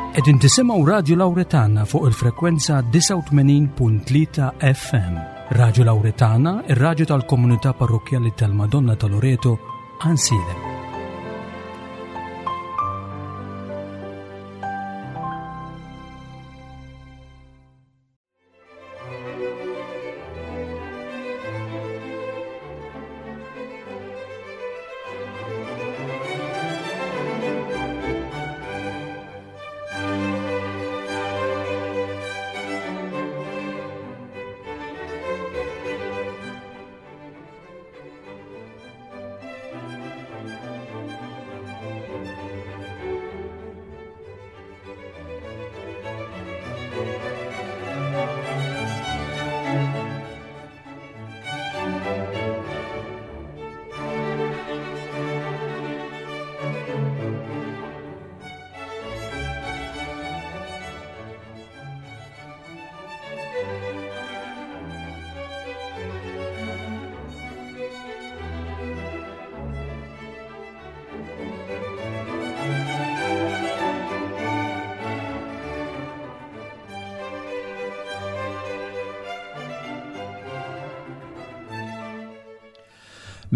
Qegħdin tisimgħu Radju Lawretana fuq il-frekwenza 89.3 FM. Radju Lawretana, ir-radju tal-komunità parrokkjali tal-Madonna ta' Loreto, Ansilem.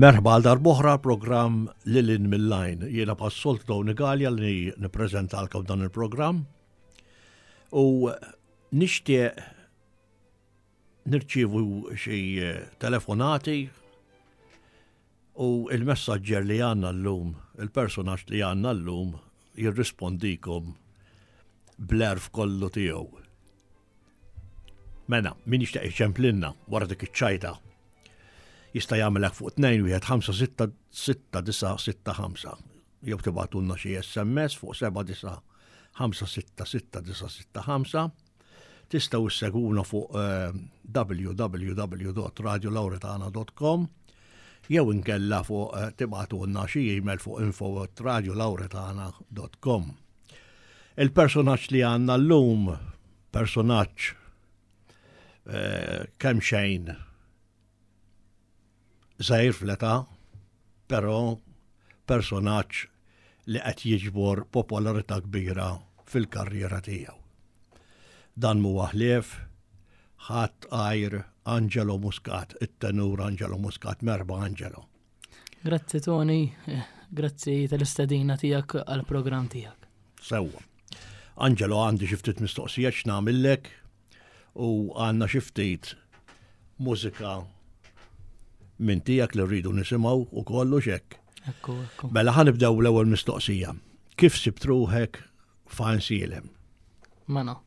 Merħba għal darboħra programm Lilin mill-Lajn. Jiena passolt Tony Gallia li nippreżentalkom dan il-programm. U nixtieq nirċievu xi telefonati u il-messaġġer li għandna llum, il-personaġġ li għandna llum jirrispondikom bl-erf kollu tiegħu. Mena, min jixtieq iċemplinna wara dik iċ-ċajta jista' jagħmelek fuq 2 1 5 6 6 9 6 5 jew tibgħatulna xi SMS fuq 7 9 5 6 6 9 6 5. Tistgħu issegwuna fuq eh, www.radiolauretana.com jew inkella fuq eh, tibgħatulna xi email fuq info@radiolauretana.com. Il-personaġġ li għandna llum, personaġġ eh, kemm xejn żgħir fl-età, però personaġġ li qed jiġbor popolarità kbira fil-karriera tiegħu. Dan mhuwa ħlief ħadd għajr Angelo Muscat, it-tenur Angelo Muscat, merba Angelo. Grazzi Tony, grazzi tal-istedina tiegħek għall-programm tiegħek. Sewwa. Angelo għandi xi ftit mistoqsija x'nagħmillek u għandna xi ftit mużika minn tiegħek li rridu nisimgħu u kollu xek. Ekku, ekku. Mela ħa nibdew l-ewwel mistoqsija. Kif sibt ruħek f'Għajnsielem? Mela,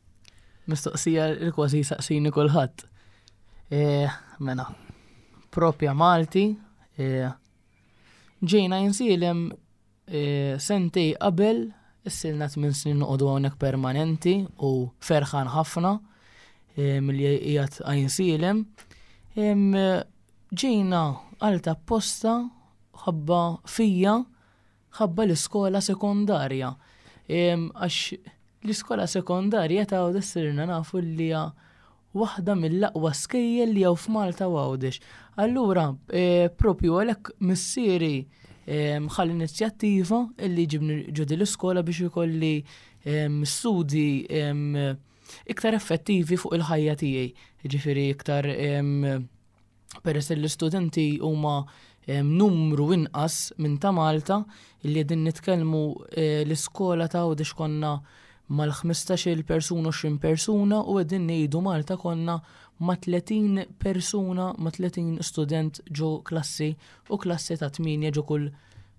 mistoqsija li kważi saqsini kulħadd. E, mela, propja Malti, e, ġejna Għajnsielem Sentej qabel, issilna tmien snin noqogħdu hawnhekk permanenti u ferħan ħafna milli qiegħed Għajnsielem. Ġejna għal ta' posta ħabba fija ħabba l-iskola sekondarja. Għax L-iskola sekondarja ta' Għawdex sirna nafu li hija waħda mill-aqwa skejjel li hawn f'Malta u Għawdex. Allura, eh, propju għalhekk missieri eh, ħa l-inizjattiva illi ġibni ġo l-iskola biex ikolli eh, studi iktar effettivi fuq il-ħajja tiegħi. Ġifieri iktar peress li l-istudenti huma numru inqas minn ta' Malta li qegħdin nitkellmu eh, l-iskola ta' Għawdex konna mal-15-il persuna 20 persuna u qegħdin ngħidu Malta konna ma' 30 persuna ma' 30 student ġo klassi u klassi ta' 8 ġo kull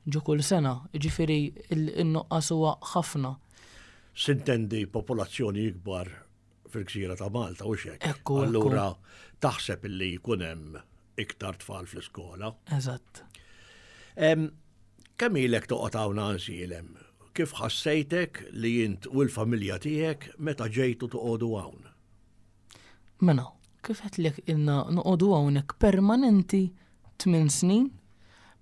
ġo kull sena. Ġifieri in-nuqqas huwa ħafna. Sintendi popolazzjoni ikbar fil-gżira ta' Malta u xek. Ekku, Allura taħseb illi jkun hemm iktar tfal fl-iskola. Eżatt. Kemm ilek toqgħod hawn Għajnsielem? Kif ħassejtek li int u l-familja tiegħek meta ġejtu toqogħdu hawn? Mela, kif għedtlek ilna noqogħdu hawnhekk permanenti tminn snin,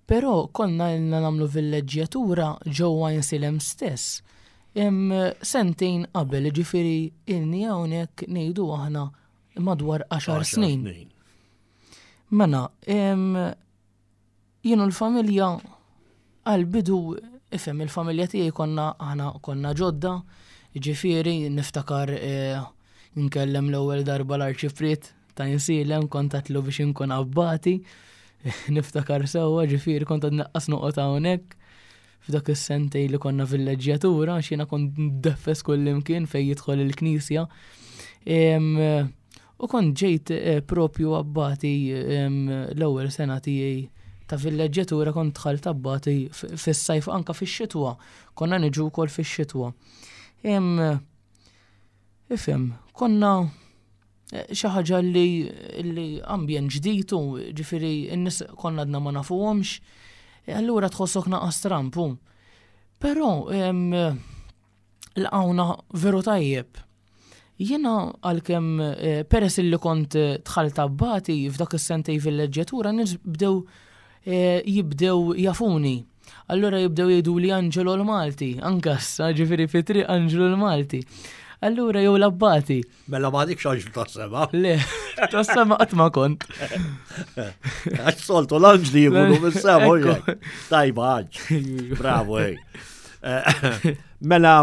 però konna ilna nagħmlu villeġġjatura ġewwa Għajnsielem stess. Sentejn qabel, ġifieri ilni hawnhekk ngħidu aħna madwar 10 snin. Mela, jien u l-familja għal-bidu, ifhem il-familja tiegħi konna aħna konna ġodda, Ġifieri niftakar eh, nkellem l-ewwel darba l-arċipriet ta' insilem kont għatlu biex inkun abbati. Niftakar sewwa ġifieri kont għad naqqas noqgħod hawnhekk f'dak is-sentej li konna villeġġjatura għax jiena kont ndeffes kullimkien fejn jidħol il-knisja. U kont ġejt eh, propju abbati l-ewwel sena tiegħi ta' villeġġjatura kont dħalt abbati fis-sajf anka fix-xitwa. Konna niġu wkoll fix-xitwa. Ifhem, konna eh, xi ħaġa li, li ambjent ġdid u ġifieri n-nies konna għadna ma nafuhomx, eh, allura tħossok naqas trampu. Però laqgħuna veru tajjeb. Jiena għalkemm eh, peress li kont eh, dħalt abbati f'dak is-sentej fil-leġġjatura nies bdew eh, jibdew jafuni. Allura jibdew jgħidu li Angelo l-Malti, anka issa ġifieri fi triq Angelo l-Malti. Allura jew l-abbati. Mela ma għadikx anġlu tas-sema. Le, tas-sema qatt ma kont. Għax soltu l-anġli jkunu mis-sema. Tajba għanġ. Bravo, ej. Mela,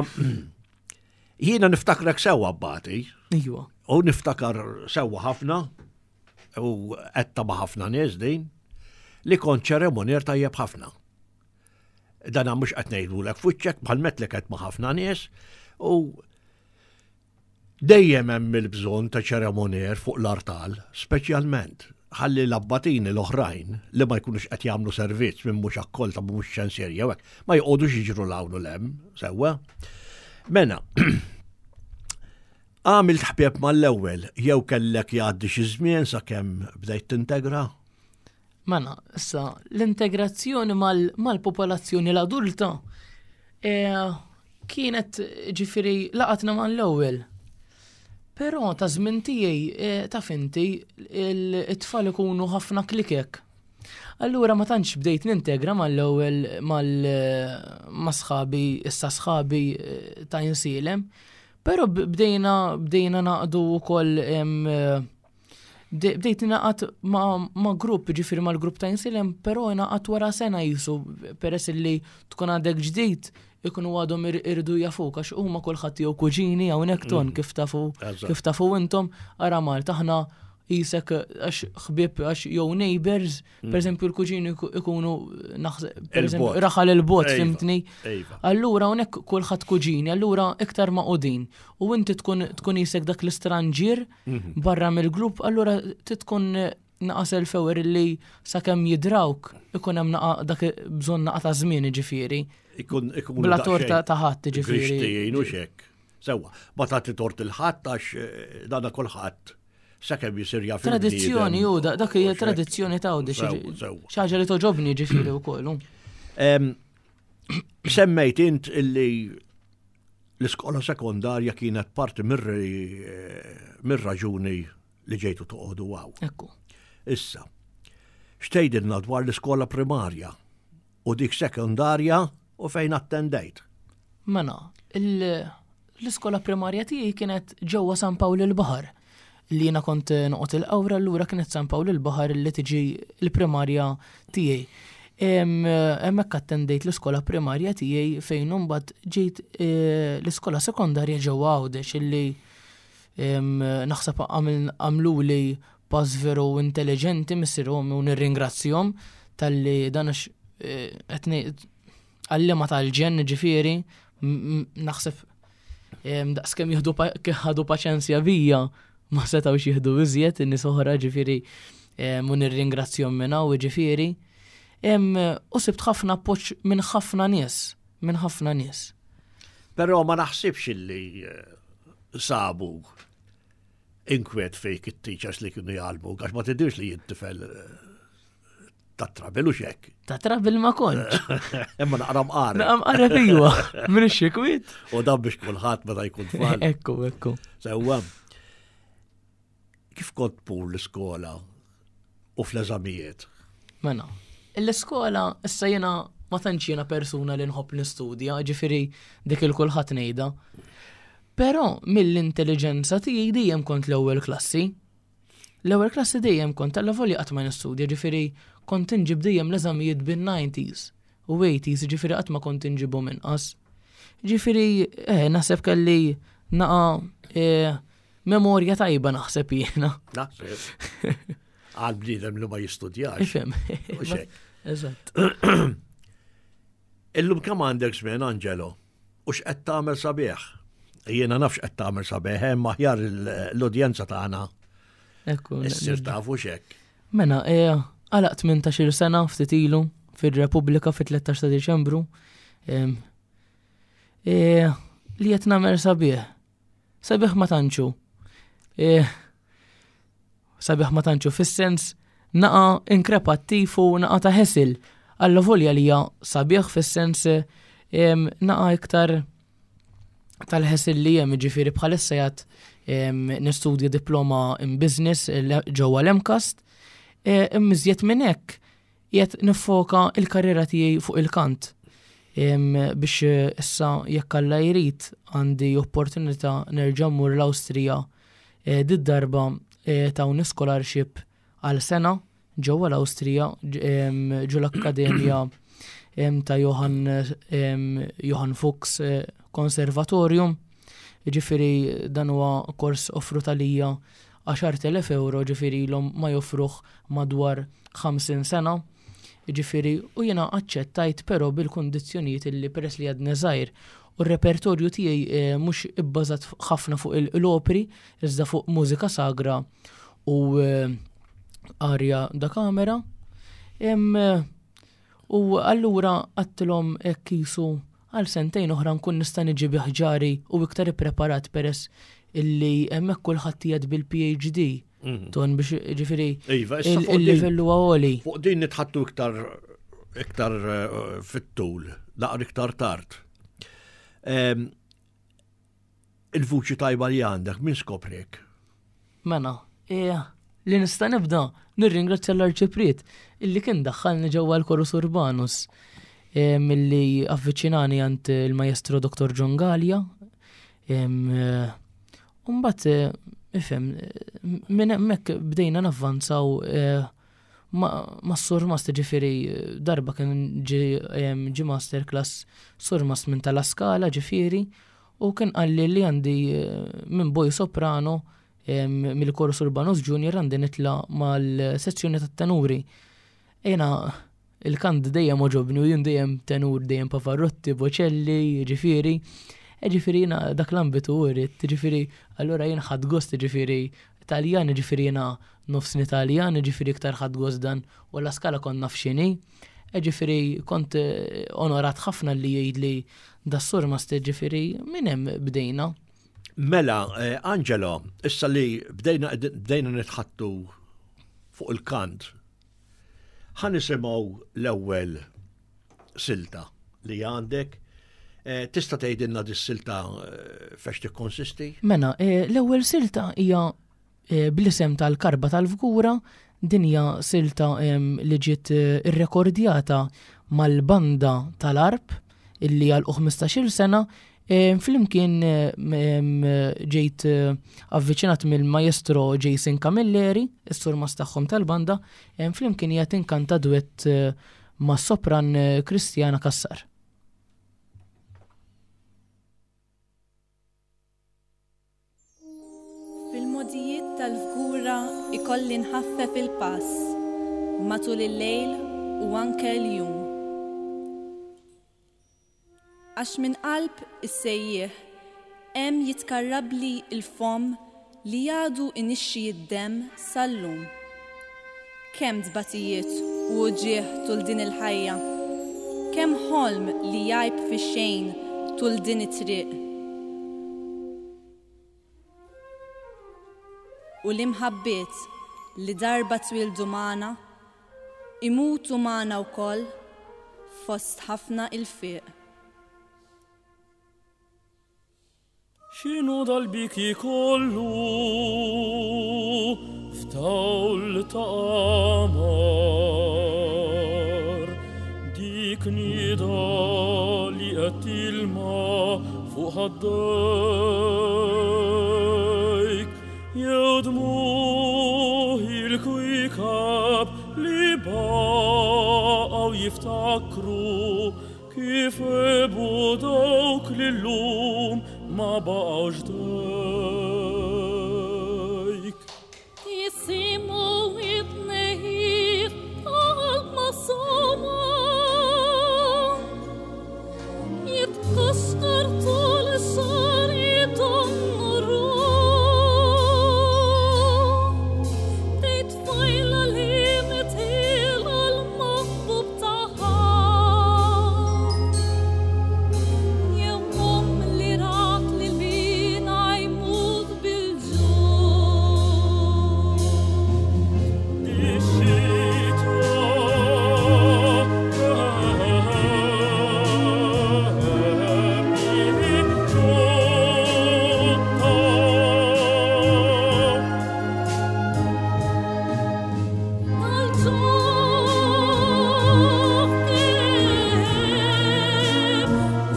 jiena niftakrek sewwa abbati. Ijwa. U niftakar sewwa ħafna, u għetta ma' ħafna nies din, li kont ċeremonier tajjeb ħafna. Dana mhux qed ngħidulek fuċċek bħal metlek qed ma' ħafna nies u Dejjem hemm il-bżonn ta' ċeremonjer fuq l-artal, speċjalment ħalli l-abbatini l-oħrajn li ma jkunux qed jagħmlu servizz minn mhux akkolta mhux ċensier jew hekk, ma joqogħdux jiġru 'l hawn u 'l hemm, sewwa. Mena, għamilt ħbieb mal-ewwel jew kellek jgħaddi xi żmien sakemm bdejt tintegra? Mela, issa l-integrazzjoni mal-popolazzjoni l-adulta eh, kienet ġifiri laqatna mal-ewwel. Però ta' żmien tiegħi eh, ta' finti it-tfal ikunu ħafna klikek. Allura ma tantx bdejt nintegra mal-ewwel ma' sħabi, issa sħabi eh, ta' insilem. Però bdejna bdejna naqdu wkoll Bdejt naqat ma' grupp, ġifiri ma' l-grupp ta' insilem, pero naqat wara sena jisu, peress li tkun għadek ġdid, ikunu għadhom irridu jafuk, għax huma kulħadd jew kuġini hawnhekk ton mm. kif tafu kif tafu intom, ara Malta aħna jisek għax ħbieb għax jew neighbors, mm. per eżempju l-kuġini ikunu naħseb per eżempju raħal il-bot, fimtni. Allura hawnhekk kulħadd kuġini, allura iktar ma' U inti tkun tkun jisek dak l-istranġier mhm. barra mill-grupp, allura titkun naqas il-fewer li sakemm jidrawk ikun hemm naqa dak bżonn naqa ta' żmien ġifieri. Ikun ikun bla torta ta' ħadd ġifieri. Grixtijin u xek. Sewwa, ma tagħti tort il-ħadd għax eh, dana kulħadd sakemm jisir jaf. Tradizzjoni u dak hija tradizzjoni ta' xi ħaġa li toġobni ġifieri wkoll. Semmejt int illi L-iskola sekondarja kienet parti mir-raġuni li ġejtu toqogħdu hawn. Ekku. Issa, x'tgħidilna dwar l-iskola primarja u dik sekondarja u fejn attendejt? Mela, l-iskola primarja tiegħi kienet ġewwa San Pawl il-Baħar. Li jiena kont noqgħod il-Qawra allura kienet San Pawl il-Baħar li tiġi l-primarja tiegħi. Hemmhekk attendejt l-iskola primarja tiegħi fejn imbagħad ġejt eh, l-iskola sekondarja ġewwa Għawdex illi naħseb għamluli pass veru intelligenti missierhom u nirringrazzjahom talli dan għax eh, qed għallima tal-ġenn ġifieri naħseb daqskemm jieħdu ħadu paċenzja bija ma setgħux jieħdu iżjed in-nies oħra ġifieri u nirringrazzjahom minn hawn ġifieri. U sibt ħafna appoġġ minn ħafna nies, minn ħafna nies. Però ma naħsibx illi eh, sabu inkwiet fejk it-teachers li kienu jgħalmu, għax ma tidirx li jittifel eh, Ta' trabil u xek. Ta' trabil ma kontx. Imma naqra mqareb. Naqra mqareb iwa, minn xikwit. U dan biex kulħadd meta jkun tfal. Ekku, ekku. Sewwa. Kif kont pur l-iskola u fl-eżamijiet? Mela, l-iskola issa jiena ma tantx jiena persuna li nħobb nistudja, ġifieri dik il-kulħadd ngħidha. Però mill-intelligenza tiegħi dejjem kont l-ewwel klassi. L-ewwel klassi dejjem kont allavolja qatt ma nistudja, ġifieri kont inġib dejjem l-eżamijiet bin-90s u 80s, ġifieri qatt ma kont inġibhom inqas. Ġifieri, eh, naħseb kelli naqa eh, memorja tajba naħseb jiena. Naħseb. Għal bniedem li ma jistudjax. Ifhem. Eżatt. Illum kemm għandek żmien, Angelo? U x'qed tagħmel sabiħ? Jiena naf x'qed tagħmel sabiħ, hemm aħjar l-udjenza tagħna. Ekku. Issir tafu x'hekk. Mela, e, għalaq 18 sena ftit ilu fir-Repubblika fit-13 ta' Diċembru. E, li qed nagħmel sabiħ. Sabiħ ma tantxu. E, Sabiħ ma tantxu fis-sens naqa inkrepattiv u naqa ta' ħesil. Alla volja li hija sabiħ fis-sens naqa iktar tal-ħesil li hemm ġifieri bħalissa jgħat nistudja diploma in business ġewwa l-MCAST. E, Immiżjed minn hekk qiegħed niffoka il-karriera tiegħi fuq il-kant. Biex eh, issa jekk Alla jrid għandi opportunità nerġa' mmur l-Awstrija eh, did-darba eh, tawni scholarship għal sena ġewwa l-Awstrija ġo l-Akkademja ta' Johann Johann Fuchs Conservatorium. Ġifieri dan huwa kors offrut għalija 10,000 euro ġifieri ilhom ma joffruh madwar 50 sena. Ġifieri u jiena aċċettajt però bil-kundizzjonijiet illi peress li għadni żgħir u r-repertorju tiegħi eh, mhux ibbażat ħafna fuq l-opri iżda fuq mużika sagra u eh, arja da kamera. Eh, U allura għadtilhom hekk qisu għal sentejn oħra nkun nista' niġi bi ħġari u iktar ippreparat peress illi hemmhekk kulħadd qiegħed bil-PhD. Mhm. Ton biex ġifieri iva, il-livell huwa għoli. Fuq din nitħattu iktar iktar eh, fit-tul, naqra iktar tard. Ehm, Il-vuċi tajba li għandek, min skoprek? Mela, eh, li nista' nibda nirringrazzja l-Arċipriet illi kien daħħalni ġewwa l-Chorus Urbanus eh, milli avviċinani għand il-Maestro Dr. John Gallia. Eh, Umbat, ifhem, minn hemmhekk bdejna navvanzaw ma' surmast ġifieri darba kien ġi master class surmast minn tal-Askala ġifieri u kien qalli li għandi eh, minn boy soprano mill-Chorus Urbanus Junior għandi nitla mal-sezzjoni tat-tenuri. Ejna Il-kant dejjem għoġobni u jien dejjem tenur, dejjem Pavarotti, Bocelli, ġifieri. E ġifieri jiena dak l-ambitu rrid, ġifieri allura jien ħadd gost ġifieri Taljan, ġifieri jiena nofsni Taljan, ġifieri iktar ħadd gost dan u la skala kont naf x'inhi. E ġifieri kont eh, onorat ħafna li jgħidli das-sur master ġifieri minn hemm bdejna. Mela, eh, Angelo, issa li bdejna bdejna nitħattu fuq il-kant Ħa nisimgħu l-ewwel silta li għandek. Eh, tista' tgħidilna dis-silta eh, fex tikkonsisti? Mela, eh, l-ewwel silta hija bl-isem tal-karba tal-fgura, din hija silta li ġiet irrekordjata mal-banda tal-arp illi għal 15-il sena Flimkien ġejt avviċinat mill-maestro Jason Camilleri, is-surmast tagħhom tal-banda, flimkien hija tinkanta duett mas-sopran Christiana Cassar. Fil-mogħdijiet tal-Fgura ikolli nħaffef il-pass matul il-lejl u anke l-jum. Għax minn qalb is-sejjieħ hemm jitkarrabli l-fomm li għadu inixxi d-demm sal-lum. Kemm tbatijiet u uġigħ tul din il-ħajja! Kemm ħolm li jgħib fix-xejn tul din it-triq! U l-imħabbiet li darba twieldu magħna, imutu magħna wkoll fost ħafna ilfiq. X'inhu dal-biki kollu f'dawl ta' qamar? Dik nida li qed tilma fuq ħaddejk jew dmugħ il-kwiekeb li baqgħu jiftakru. Kif għebu dawk li llum ma baqgħux ħdejk. Jisimgħu it-tnehid ta' qalb masuma. Jitkaxkar tul ix-xagħar donnu ruħ. Tgħid tfajla li mitilha l-maħbub tagħha. Jew omm li rat lil binha jmut bil-ġuħ. Dix-xitwa kemm hi Tal-ġuħ kemm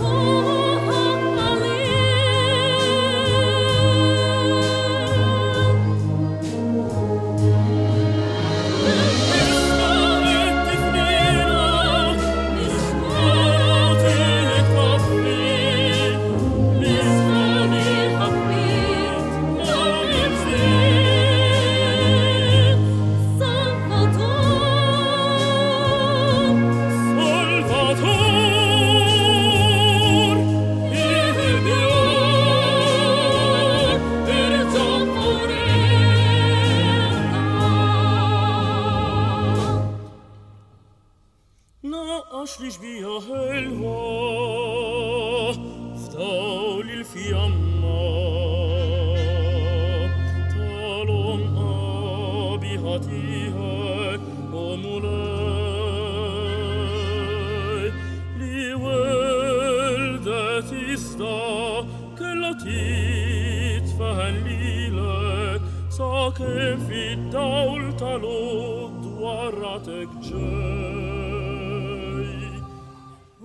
hu qalil. Salvator, il-bjor, irġa' furina. Naqqax li xbija ħelwa f'dawl il-fjamma tal-onqa biħa tiegħek o Mulej li weldet iżda kellha titfaħen lilek sakemm fid-dawl tal-għodwa ratek ġej.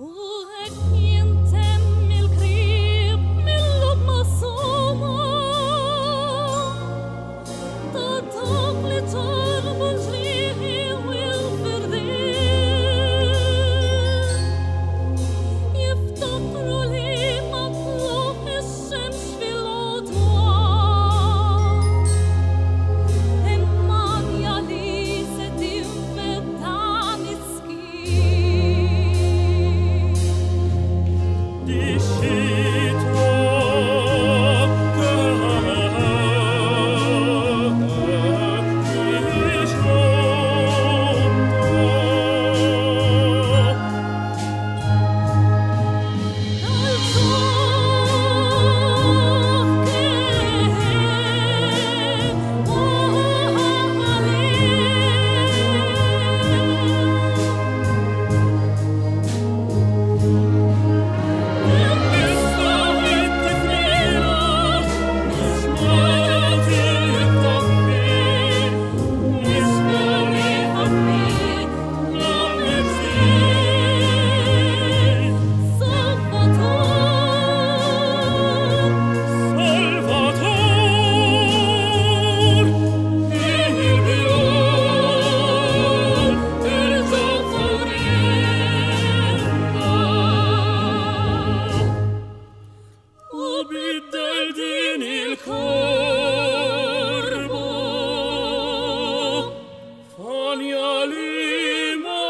U hekk jintemm il-krib mill-lub masuma ta' dawk li ġarrbu l-ġrieħi u l-firdiet. Jiftakru li ma tlugħ ix-xemx fil-għodwa. Imma li se tinfed dan is-skiet. Dix-xitwa kemm hi Tal-ġuħ kemm hu qalil. Salvator, il-bjor, irġa' furina. U biddel din il-korba fanja li ma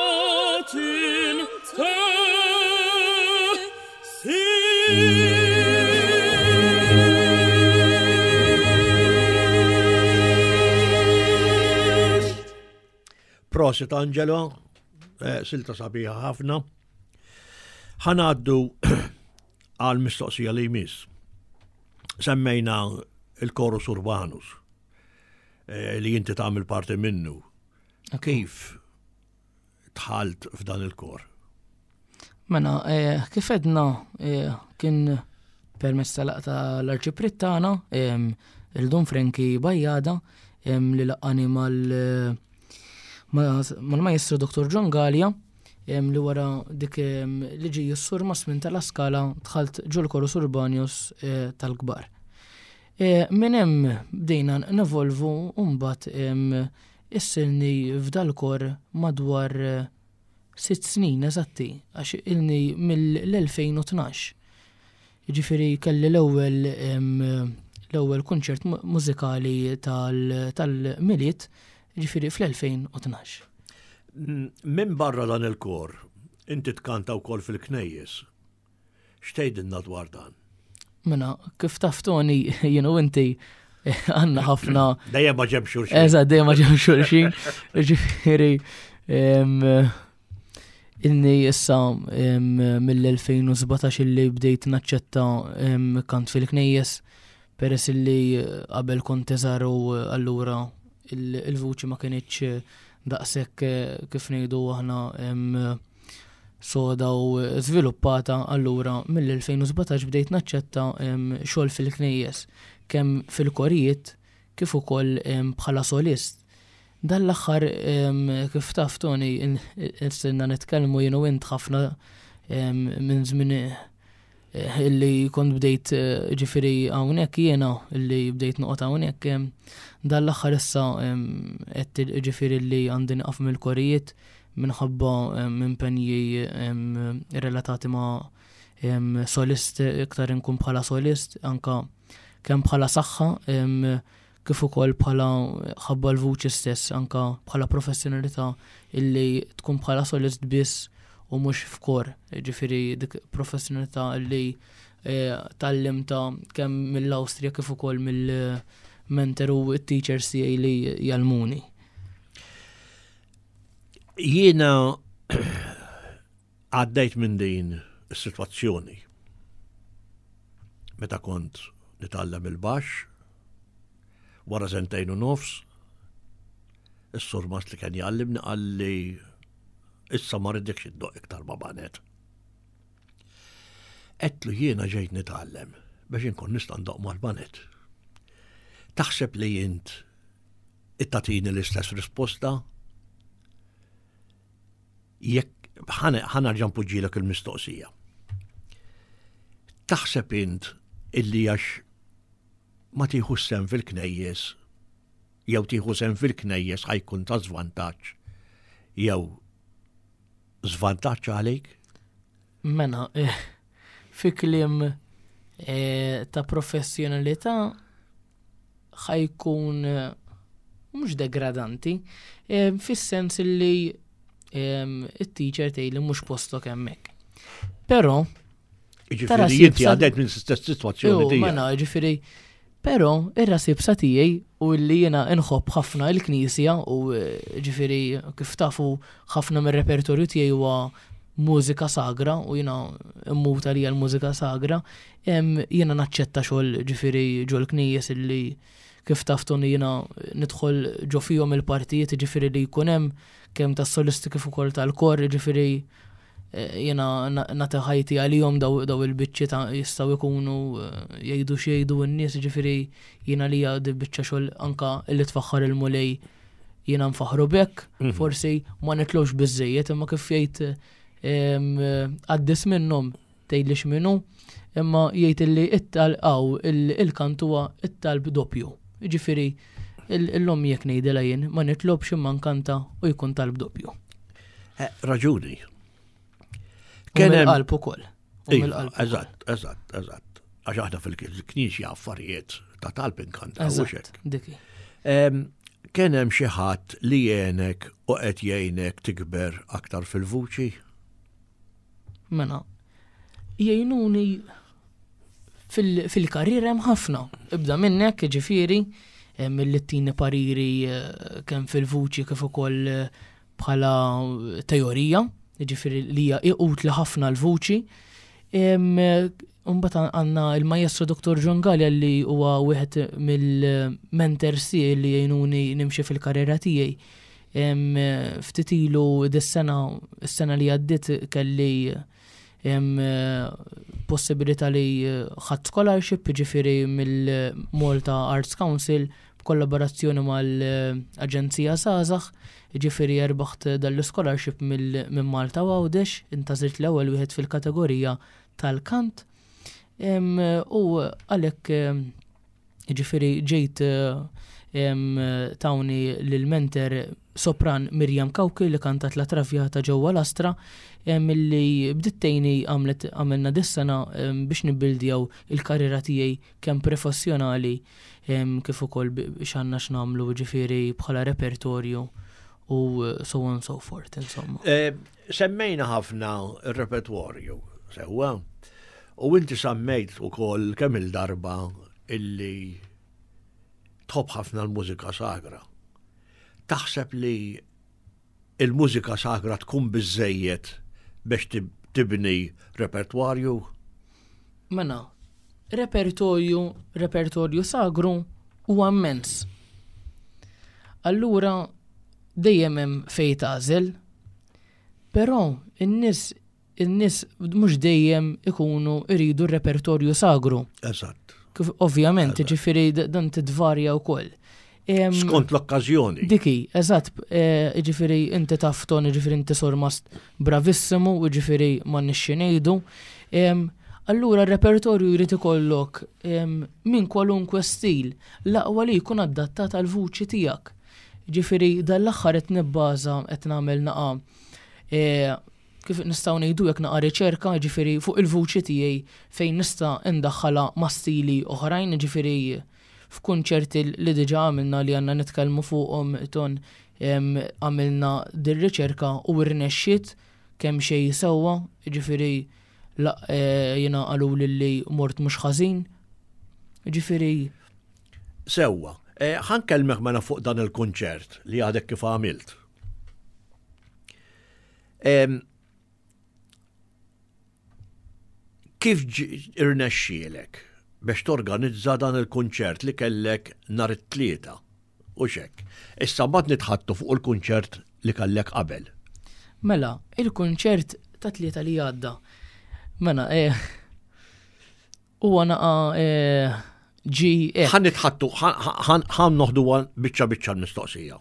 tintesix. Prosit Angelo, eh, silta sabiħa ħafna. Ħanaddu għal mistoqsija li jmiss. Semmejna il-Chorus Urbanus eh, li inti tagħmel parti minnu. Kif tħalt f'dan il-kor? Mela, eh, kif edna eh, kien permezz tal-laqgħa tal-arċipriet tagħna, em, il-Dun Frenki Bajjada, em, li laqqani mal ma- mal-Majestru Dr. John Gallia, em, li wara dik em, li ġie s-sur Masmin tal-Askala dħalt ġol Chorus Urbanius eh, tal-kbar. Eh, Minn hemm bdejna nevolvu u mbagħad em, issilni f'dal-kor madwar eh, Sitt snin eżatti, għax ilni mill-2012. Jiġifieri kelli l-ewwel l-ewwel kunċert mużikali tal-Milied, jiġifieri fl-2012. Minn barra dan il-kor, inti tkanta wkoll fil-knejjes. X'tgħidilna dwar dan? Mela, kif taf Tony, jien u inti għandna ħafna. Dejjem ma ġemx xulxin. Eżatt, dejjem ma ġemx xulxin. Ġifieri inni issa mill-2017 illi bdejt naċċetta kant fil-knejjes peress illi qabel kont eżar u allura il-vuċi ma kinitx daqshekk kif ngħidu aħna soda u żviluppata allura mill-2017 bdejt naċċetta xogħol fil-knejjes kemm fil-korijiet kif ukoll bħala solist. Dan l-aħħar kif taf Tony sirna nitkellmu jien u int ħafna minn żmien illi kont bdejt ġifieri hawnhekk jiena illi bdejt noqgħod hawnhekk dan l-aħħar issa qed ġifieri li għandi nieqaf mill-korijiet minħabba impenji relatati ma' solist iktar inkun bħala solist anka kemm bħala saħħa kif ukoll bħala ħabba l-vuċi stess anka bħala professjonalità illi tkun bħala solist biss u mhux f'kor, ġifieri dik professjonalità illi eh, tgħallimta kemm mill-Awstrija kif ukoll mill-mentor u t-teachers tiegħi li jgħallmuni. Jiena għaddejt minn din is-sitwazzjoni meta kont nitgħallem il-baxx wara sentejn u nofs is-surmast li kien jgħallimni qalli issa ma rridekx iddoq iktar ma banet. Għedtlu jiena ġejt nitgħallem biex inkun nista' ndoq mal-banet. Taħseb li int Tagħtini l-istess risposta? Jekk ħa nerġa' npoġġilek il-mistoqsija. Taħseb int illi għax ma tieħu sehem fil-knejjes jew tieħu sehem fil-knejjes ħa jkun ta' żvantaġġ jew żvantaġġ għalik? Mela, eh, fi kliem eh, ta' professjonalità ħa jkun eh, mhux degradanti, eh, fis-sens li eh, it-teacher tgħidli mhux postok hemmhekk. Però Ġifieri inti għaddejt minn stess sitwazzjoni tiegħi. Mela, ġifieri però ir-ras iebsa tiegħi u li jiena nħobb ħafna l-Knisja u ġifieri kif tafu ħafna mir-repertorju tiegħi huwa mużika sagra u jiena mmut għalija l-mużika sagra, jiena naċċetta xogħol ġifieri ġol knejjes illi kif taf Tony jiena nidħol ġo fihom il-partijiet ġifieri li jkun hemm kemm tas-solisti kif ukoll tal-kor ġifieri eh, jiena nagħti ħajti għalihom daw il-biċċi ta' jistgħu jkunu eh, jgħidu x'jgħidu n-nies ġifieri jiena li di biċċa xogħol anka li tfaħħar il-Mulej jiena nfaħru bekk, mhm. forsi ma nitlux biżejjed imma kif jgħid għaddis minnhom tgħidli x'minhu, imma jgħid illi it-tal għaw il-kant huwa it-talb doppju. Ġifieri l-lum jekk ngħidilha jien ma nitlobx imma nkanta u jkun talb doppju. Eh, raġuni. Kien hemm qalb ukoll. Iva, eżatt, eżatt, eżatt. Għax aħna fil-knisja affarijiet ta' talb inkanta. Eżatt, diki. Kien hemm xi ħadd li jgħinek u qed jgħinek tikber aktar fil-vuċi? Mela, jgħinuni fil-karriera hemm ħafna. Ibda minnek, ġifieri, mill tini pariri eh, kemm fil-vuċi kif ukoll eh, bħala teorija, jiġifieri li hija utli ħafna l-vuċi. Imbagħad għandna il-Maestro Dr. John Galea li huwa wieħed mill-mentors tiegħi li jgħinuni nimxi fil-karriera tiegħi. Ftit ilu dis-sena, is-sena li għaddiet kelli possibilità li ħadd scholarship, ġifieri mill-Malta Arts Council b'kollaborazzjoni mal-Aġenzija Żgħażagħ, jiġifieri erbaħt dan l-ischolarship minn Malta u Għawdex, intgħażilt l-ewwel wieħed fil-kategorija tal-kant. U għalhekk jiġifieri ġejt Tawni lil-mentor sopran Miriam Cauchi li kantat La Traviata ġewwa l-Astra milli bdiet tgħinni għamlet għamilna dis-sena biex nibbildjaw il-karriera tiegħi kemm professjonali kif ukoll x'għandna x'nagħmlu ġifieri bħala repertorju u so on so forth insomma. Eh, semmejna ħafna r-repertorju sewwa u inti semmejt ukoll kemm il-darba illi tħobb ħafna l-mużika sagra. Taħseb li il-mużika sagra tkun biżejjed biex tibni repertwarju? Mela, repertorju, repertorju sagru huwa immens. Allura dejjem hemm fejn tagħżel, però in-nies in-nies mhux dejjem ikunu jridu r-repertorju sagru. Eżatt. Kif ovvjament, ġifieri dan titvarja wkoll. Skont l-okkażjoni. Diki, eżatt, e, ġifieri inti taf ton, ġifieri inti sormast bravissimu, ġifieri ma nixxi ngħidu. Allura r-repertorju jrid ikollok minn kwalunkwe stil l-aqwa li jkun adattat għal vuċi tiegħek. Ġifieri dal-aħħar qed nibbaża qed nagħmel naqa' e, kif nistgħu ngħidu hekk naqa' riċerka, jiġifieri fuq il-vuċi tiegħi fejn nista' ndaħħalha ma' stili oħrajn, jiġifieri f'kunċerti li diġà għamilna li għandna nitkellmu fuqhom ton għamilna dir-riċerka u rnexxiet kemm xejn sewwa, jiġifieri eh, jiena qaluli li mort mhux ħażin. Jiġifieri Sewwa, eh, ħa nkellmek mela fuq dan il-kunċert li għadek kif għamilt. Kif irnexxielek biex torganizza dan il-kunċert li kellek nhar it-Tlieta u xek? Issa mbagħad nitħattu fuq il-kunċert li kellek qabel. Mela, il-kunċert ta' Tlieta li għadda. Mela, eh, Huwa naqa ġi. Ħa nitħattu, ħa noħdu biċċa biċċa l-mistoqsija.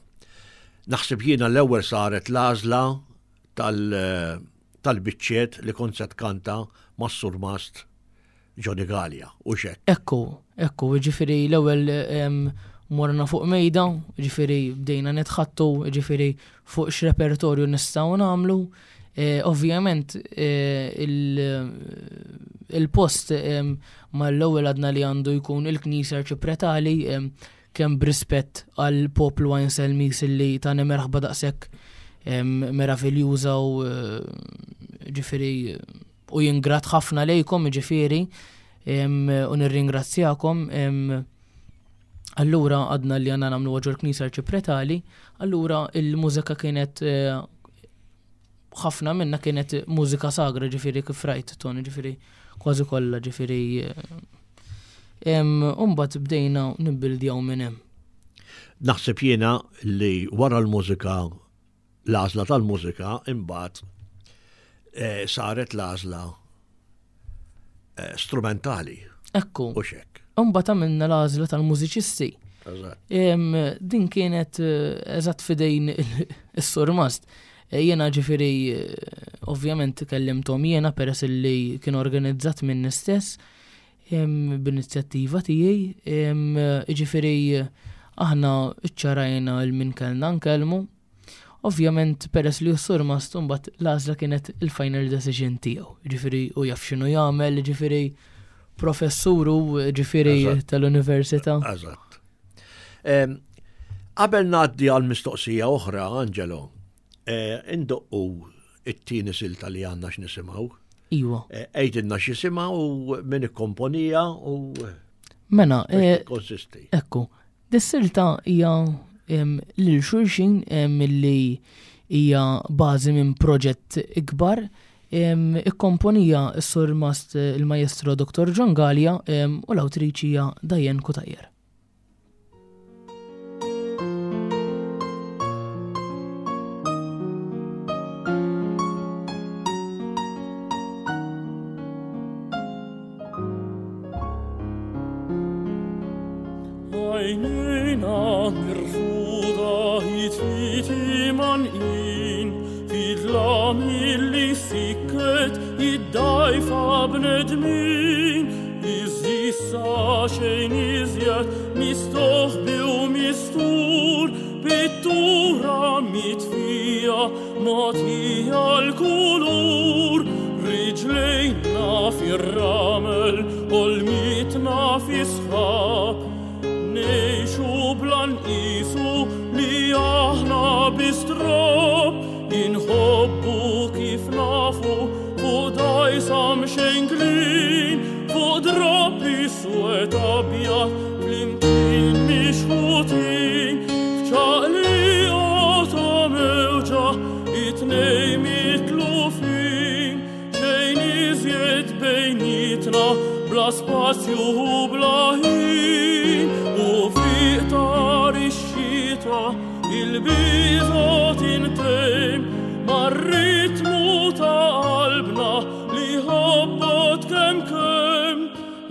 Naħseb jiena l-ewwel saret l-għażla tal-biċċiet li kont se tkanta mas-surmast Johnny Galea u xek. Ekku, ekku, ġifieri l-ewwel morna fuq mejda, ġifieri bdejna nitħattu, ġifieri fuq x'repertorju nistgħu nagħmlu. Eh, ovvjament eh, il-post eh, mal-ewwel għadna li għandu jkun il-Knisja Arċipretali kemm b'rispett għal poplu għajn Selmis li tani merħba daqshekk meraviljuża u ġifieri u jingrat ħafna lejkom ġifieri u nirringrazzjakom. Allura għadna li għanna namlu ġol knisja arċipretali, allura il-mużika kienet eh, ħafna minna kienet mużika sagra ġifiri kif rajt ton ġifiri kważi kollha ġifiri. Eh, Umbat bdejna nibbildjaw minn hemm. Naħseb jiena li wara l-mużika l-għażla tal-mużika imbagħad eh, saret l-għażla eh, strumentali. Ekku. U xek. Imbagħad għamilna l-għażla tal-mużiċisti. Din kienet eh, eżatt fidejn is-surmast. Jiena ġifieri ovvjament kellimthom jiena peress li kien organizzat minni stess b'inizjattiva tiegħi, jiġifieri aħna ċċarajna l min kellna nkellmu. Ovvjament peress li s-sur Mast imbagħad l-għażla kienet il-final decision tiegħu. Jiġifieri hu jaf x'inhu jagħmel, jiġifieri professur hu jiġifieri tal-università. Eżatt. Qabel ngħaddi għal mistoqsija oħra, Angelo, eh, indoqqu it-tieni silta li għandna x'nisimgħu. Iwa. Eh, għidilna x'isimha u min ikkomponija u Mela, eh, konsisti. Ekku, dis-silta hija lil xulxin milli hija bażi minn proġett ikbar ikkomponija s-surmast il-Maestro Dr. John Galea u l-awtriċi hija Diane Cutajar. Id-dajfa bnedmin, iżissa jibqa' xejn iżjed mistoħbi u mistur, pittura mitfija mogħtija l-kulur, riġlejna fir-ramel ħolmitna fi sħab, ngħixu bla nqisu li aħna biss trab, inħobbu kif nafu fuq dgħajsa mxenklin, fuq drapp iswed abjad flimkien mixħutin, f'ċaqliqa ta' mewġa it-tnejn mitlufin, xejn iżjed bejnietna bla spazju u bla ħin, u fi qtar ix-xita il-biża' tintemm mar-ritmu ta' qalbna li ħabbat kemm kemm,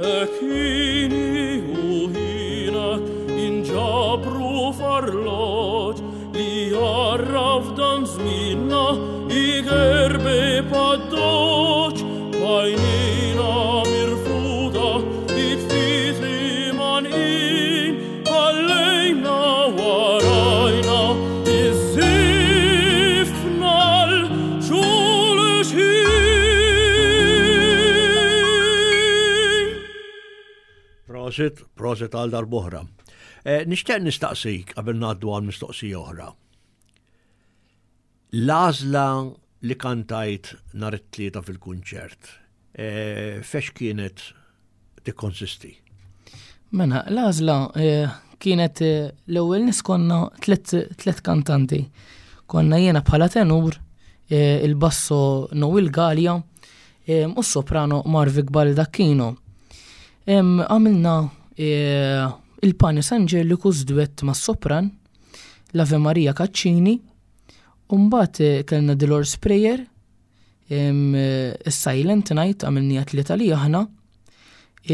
hekk ħini u ħinak inġabru f'arloġġ li jgħarraf dan żmienna igerbe pad-doċ, b'għajnejna mirfuda id-fitri manqin, ħallejna warajna iż-żifna l-xulxin. Prosit, prosit għal darb'oħra. Eh, nixtieq nistaqsik qabel ngħaddu għal mistoqsija oħra. L-għażla li kantajt nhar it-Tlieta fil-kunċert, fex kienet tikkonsisti? Mela, l-għażla kienet l-ewwel nies konna tliet kantanti. Konna jiena bħala tenur, il-basso Noel Galea u s-soprano Marvic Baldacchino. Għamilna il-Panis Angelicus duett mas-sopran, l-Ave Maria Caccini, u mbagħad kellna The Lord's Prayer, is-Silent Night għamilniha tlieta li aħna,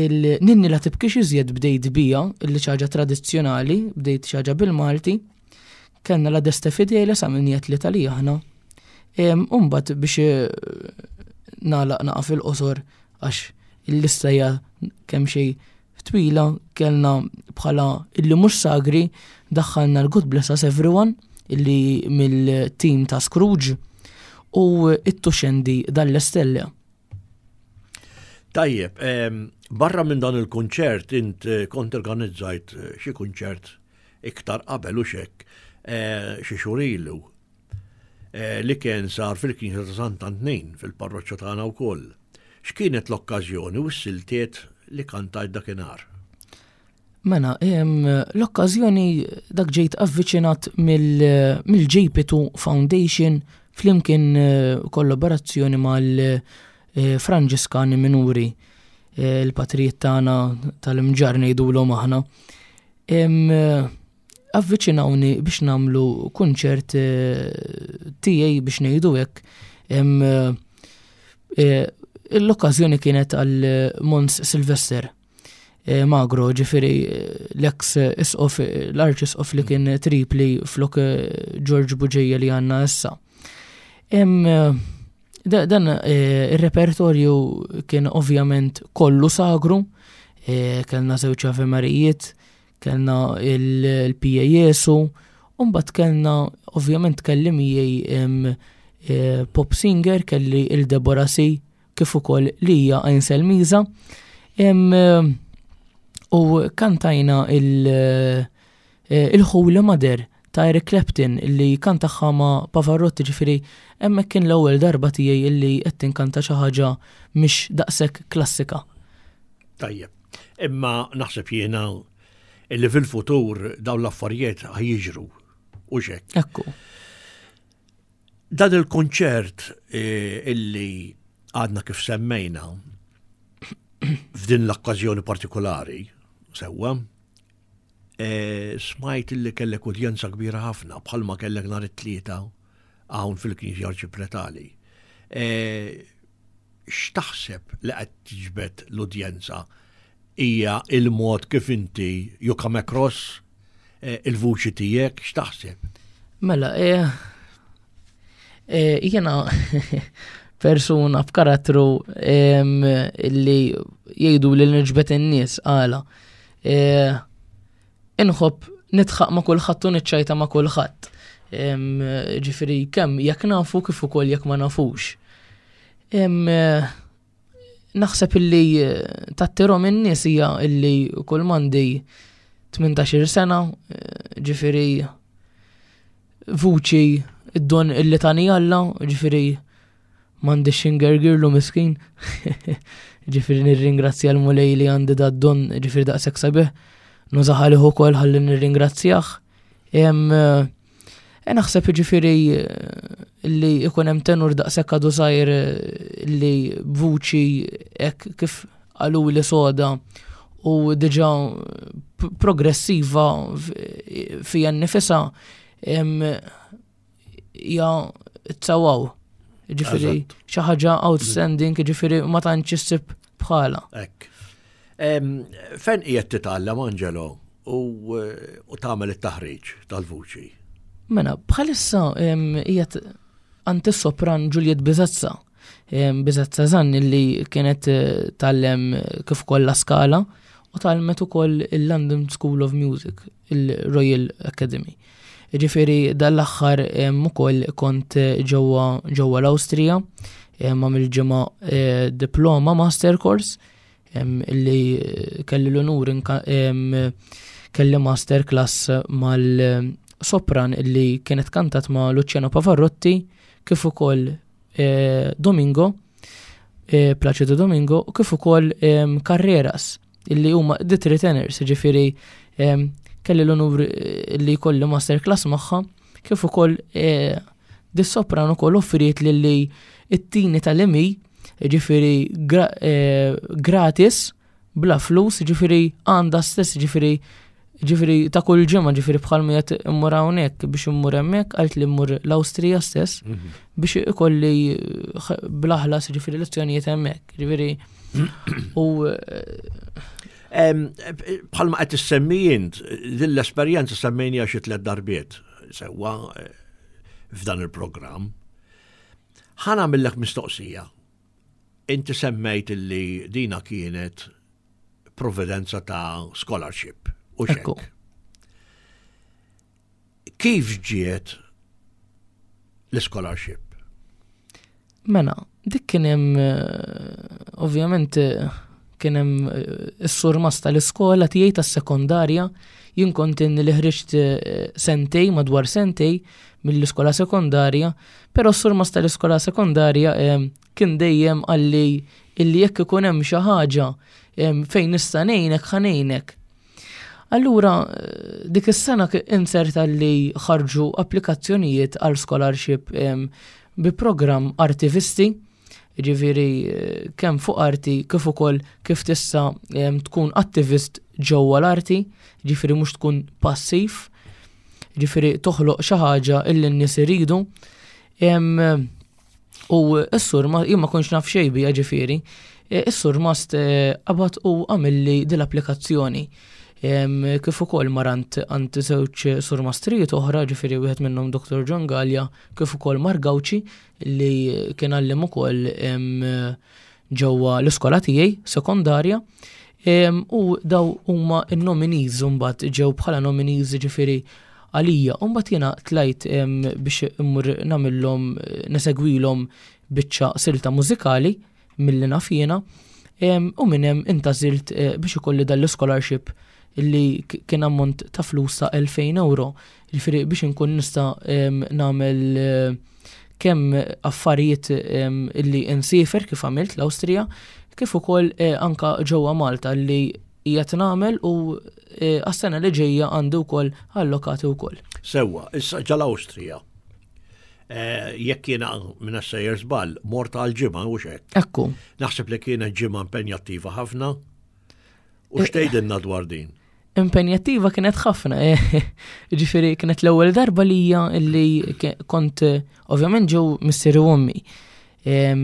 il-Ninni la tibkix iżjed bdejt bija, illi xi ħaġa tradizzjonali, bdejt xi ħaġa bil-Malti, kellna la Deste Fideles għamilniha tlieta li aħna. U mbagħad biex nagħlaq naqa' fil-qosor għax il-lista hija kemm xejn twila, kellna bħala illi mhux sagri daħħalna l-God Bless Us Everyone illi mill-team ta' Scrooge u it-Tuxendi dalle Stelle. Tajjeb, barra minn dan il-kunċert int kont organizzajt xi kunċert iktar qabel u xek xi xhur ilu li kien sar fil-Knisja ta' Sant'Antnin fil-parroċċa tagħna wkoll. X'kienet l-okkażjoni u s-siltiet li kantajt dakinhar? Mela, l-okkażjoni dak ġejt avviċinat mill-JP2 Foundation flimkien kollaborazzjoni mal-Franġiskani Minuri, il-patrijiet tagħna tal-Imġarr ngħidulhom aħna. Avviċinawni biex nagħmlu kunċert tiegħi biex ngħidu hekk. L-okkażjoni kienet għal Mons Sylvester Magro, ġifieri l-eks isqof, l-arċisqof li kien Tripli flok George Bugeja li għandna issa. Dan ir-repertorju kien ovvjament kollu sagru, kellna żewġ Ave Marijiet, kellna il-Pia Jesu, u mbagħad kellna ovvjament kelli miegħi pop singer, kelli il-Deborah C, kif ukoll li hija Ainsel Miza. U kantajna il-Holy Mother ta' Eric Clapton li kantaħħa ma' Pavarotti, ġifieri hemmhekk kien l-ewwel darba tiegħi illi qed tinkanta xi ħaġa mhix daqshekk klassika. Tajjeb. Imma naħseb jiena illi fil-futur dawn l-affarijiet ħajjiġru u xek. Ekku. Dan il-konċert illi għadna kif semmejna f'din l-okkażjoni partikolari, sewwa, smajt illi kellek udjenza kbira ħafna bħalma kellek nhar it-Tlieta hawn fil-Knisja Arċipretali. X'taħseb li qed tiġbed l-udjenza? Hija il-mod kif inti you come across il-vuċi tiegħek, x'taħseb? Mela, jiena persuna b'karattru li jgħidu li nġbet in-nies għala. Eh, inħobb nidħaq ma' kulħadd u niċċajta ma' kulħadd. Ġifieri kemm jekk nafu kif ukoll jekk ma nafux. Eh, naħseb illi eh, tattirhom in-nies hija illi kull mandi 18 sena, eh, ġifieri vuċi id-don illi tani Alla, ġifieri M'għandix xi ngergirlu miskin. Ġifieri nirringrazzja l-Mulej li għandi da don ġifieri daqshekk sabiħ. Nużah għalih ukoll ħalli nirringrazzjah. E naħseb ġifieri eh, li ikun hemm tenur daqshekk għadu żgħir eh, li b'vuċi hekk kif qalu li soda u diġà progressiva fija nnifisha hija tsawaw. Ġifieri xi ħaġa outstanding, ġifieri ma tantx issib bħala. Ekk. Fejn qiegħed titgħallem Angelo u eh, tagħmel it-taħriġ tal-vuċi? Mela, bħalissa qiegħed għand is-sopran Juliet Bizazza. Bizazza Zan li kienet eh, tallem kif kollha skala u talmet ukoll il-London School of Music, il-Royal Academy. Jiġifieri dan l-aħħar ukoll kont ġewwa ġewwa l-Awstrija għamilt ġimgħa eh, diploma master course li kelli l-unur kelli master class mal-sopran li kienet kantat ma' Luciano Pavarotti kif ukoll eh, Domingo eh, Placido Domingo u kif ukoll Carreras illi huma the three tenors, ġifieri kelli l-onur eh, li jkolli master class magħha, kif ukoll eh, dis-sopran ukoll offriet li li it-tini tal-emi, ġifieri eh, gratis, bla flus, ġifieri għandha stess, ġifieri ġifieri ta' kull ġimgħa, ġifieri bħal ma qed immur hawnhekk biex immur hemmhekk, għalt li mmur l-Awstrija stess mhm. biex ikolli bla ħlas ġifieri lezzjonijiet hemmhekk. Ġifieri U bħalma qed issemmi int, din l-esperjenza semmejnija xi tliet darbiet sewwa eh, f'dan il-programm. Ħa nagħmillek mistoqsija. Inti semmejt illi dina kienet provvidenza ta' scholarship u xekk. Kif ġiet l-scholarship? Mela, dik kien hemm eh, ovvjament eh, kien hemm eh, is-surmas tal-iskola tiegħi tas-sekondarja jien kont li ħriġt sentej madwar sentej mill-iskola sekondarja, però s-surmas tal-iskola sekondarja kien dejjem għalli illi jekk ikun hemm xi ħaġa fejn nista' ngħinek ħa ngħinek. Allura dik is-sena inserta li ħarġu applikazzjonijiet għal scholarship bi programm artivisti, ġifieri kemm fuq arti kif ukoll kif tista' tkun attivist ġewwa l-arti, ġifieri mhux tkun passiv, ġifieri toħloq xi ħaġa illi n-nies iridu. U s-sur, jien ma kontx naf xejn bija ġifieri, e, is-sur mast e, qabad u għamilli dil-applikazzjoni. Kif ukoll marant għand żewġ surmastrijiet oħra, ġifieri wieħed minnhom Dr. John Gallia, kif ukoll Mark Gauci li kien għallim ukoll ġewwa l-iskola tiegħi sekondarja. U daw huma n-nominees mbagħad ġew bħala nominees ġifieri għalija. U mbagħad jiena tlajt biex immur nagħmilhom nesegwilhom biċċa silta mużikali milli naf jiena. U minn hemm intażilt eh, biex ikolli dan l-scholarship li kien ammont ta' flus ta' 2000 euro. Ġifieri biex inkun nista' nagħmel eh, kemm affarijiet illi insiefer kif għamilt l-Awstrija, kif ukoll eh, anka ġewwa Malta li qiegħed nagħmel u eh, għas-sena li ġejja għandi wkoll allokati wkoll. Sewwa, issa ġal-Awstrija. Eh, jekk jiena minn sejjer żball, mort għal ġimgħa u xek. Ekku. Naħseb li kienet ġimgħa impenjattiva ħafna. U x'tgħidilna dwar din? Impenjattiva kienet ħafna, eh. ġifieri kienet l-ewwel darba lija li kont ovvjament ġew missieri u ommi. Eh,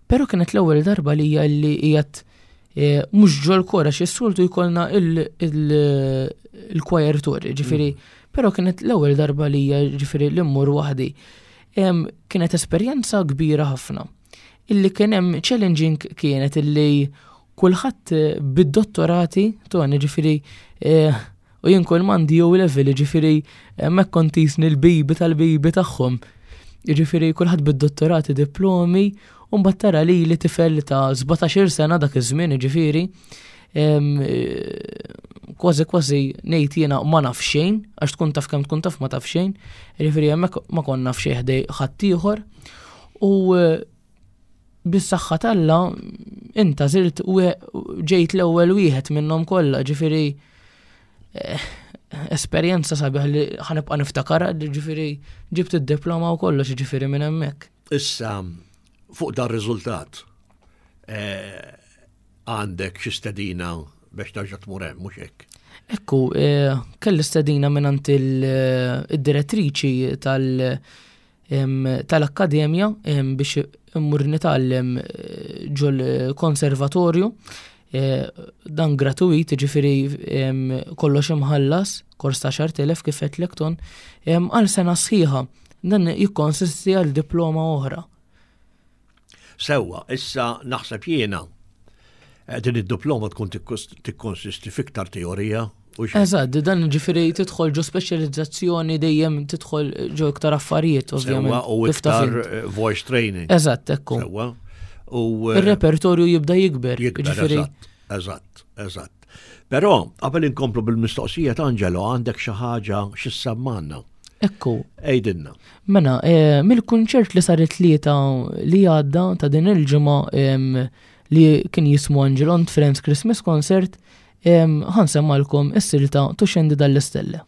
però kienet l-ewwel darba lija li qiegħed eh, mhux ġol kora xi soltu jkollna il-choir tour, ġifieri, mm. però kienet l-ewwel darba lija ġifieri li mmur waħdi. Kienet esperjenza kbira ħafna. Illi kien hemm challenging kienet illi Kulħadd bid-dottorati, Tony, ġifieri u jien kull m'għandi O level, ġifieri hemmhekk kont jisni l-bibi tal-bibi tagħhom. Ġifieri kulħadd bid-dottorati, diplomi, u mbagħad tara li li tifel ta' 17-il sena dak iż-żmien, ġifieri, kważi kważi ngħid jiena ma naf xejn, għax tkun taf kemm tkun taf ma taf xejn, ġifieri hemmhekk ma konna naf xejn ħdej ħaddieħor. U bis-saħħa t'Alla inta zirt u ġejt l-ewwel wieħed minnhom kollha, ġifieri eh, esperjenza sabiħ li ħanibqa' niftakar, ġifieri ġibt id-diploma u kollox ġifieri minn hemmhekk. Issa fuq dar riżultat eh, għandek xi stedina biex terġa' tmur hemm mhux hekk. Ekku, eh, kelli stedina minn id-direttriċi tal- tal-akkademja biex immur nitgħallem eh, ġol konservatorju eh, dan gratuit, ġifiri kollox imħallas, kors ta' 10,000 kif qed lekton, għal sena sħiħa. Dan jikkonsisti għal diploma oħra. Sewwa, issa naħseb jiena eh, din id-diploma tkun tikkonsisti fiktar teorija u xejn. Eżatt, dan ġifieri tidħol ġo speċjalizzazzjoni dejjem tidħol ġo iktar affarijiet, ovvjament. Sewwa u kif taf iktar int. eh, voice training. Eżatt, ekku. Sewwa. U eh, Ir-repertorju jibda jikber. jikber, ġifieri eżatt, eżatt, eżatt. Però qabel inkomplu bil-mistoqsija ta' Angelo għandek xi ħaġa xi semmanna. Ekku. Ejdinna. Mela, eh, mill-kunċert li sar it-tlieta li għadda ta' din il-ġimgħa li kien jismu Angelo and Friends Christmas Concert, ħansemmalkom is-silta Tuxendi dall-Istelle.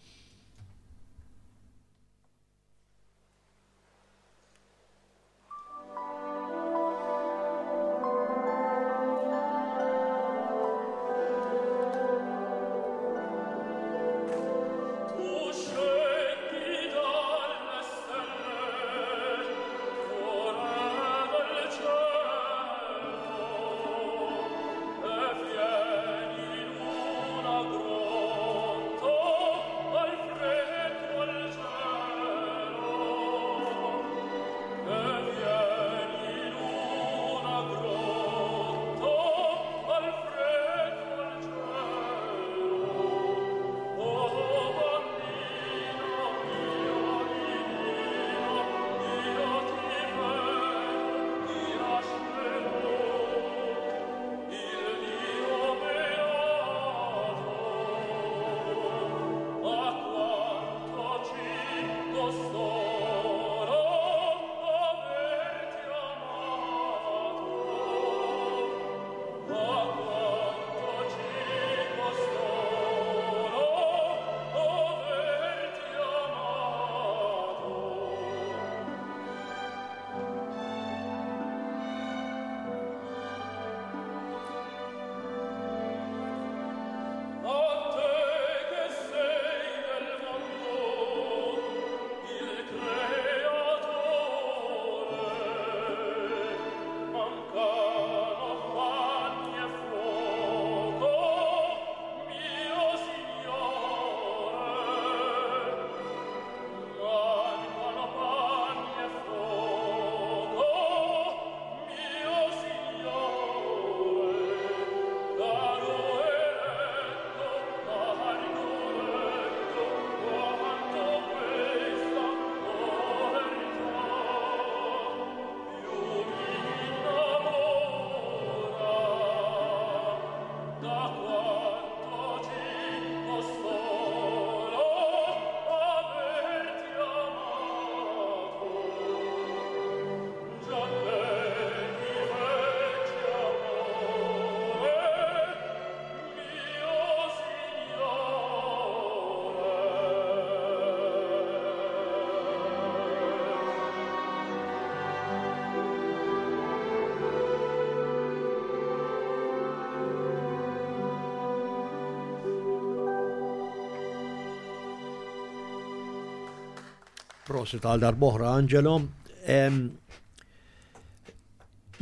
Prosit għal darboħra, Angelo.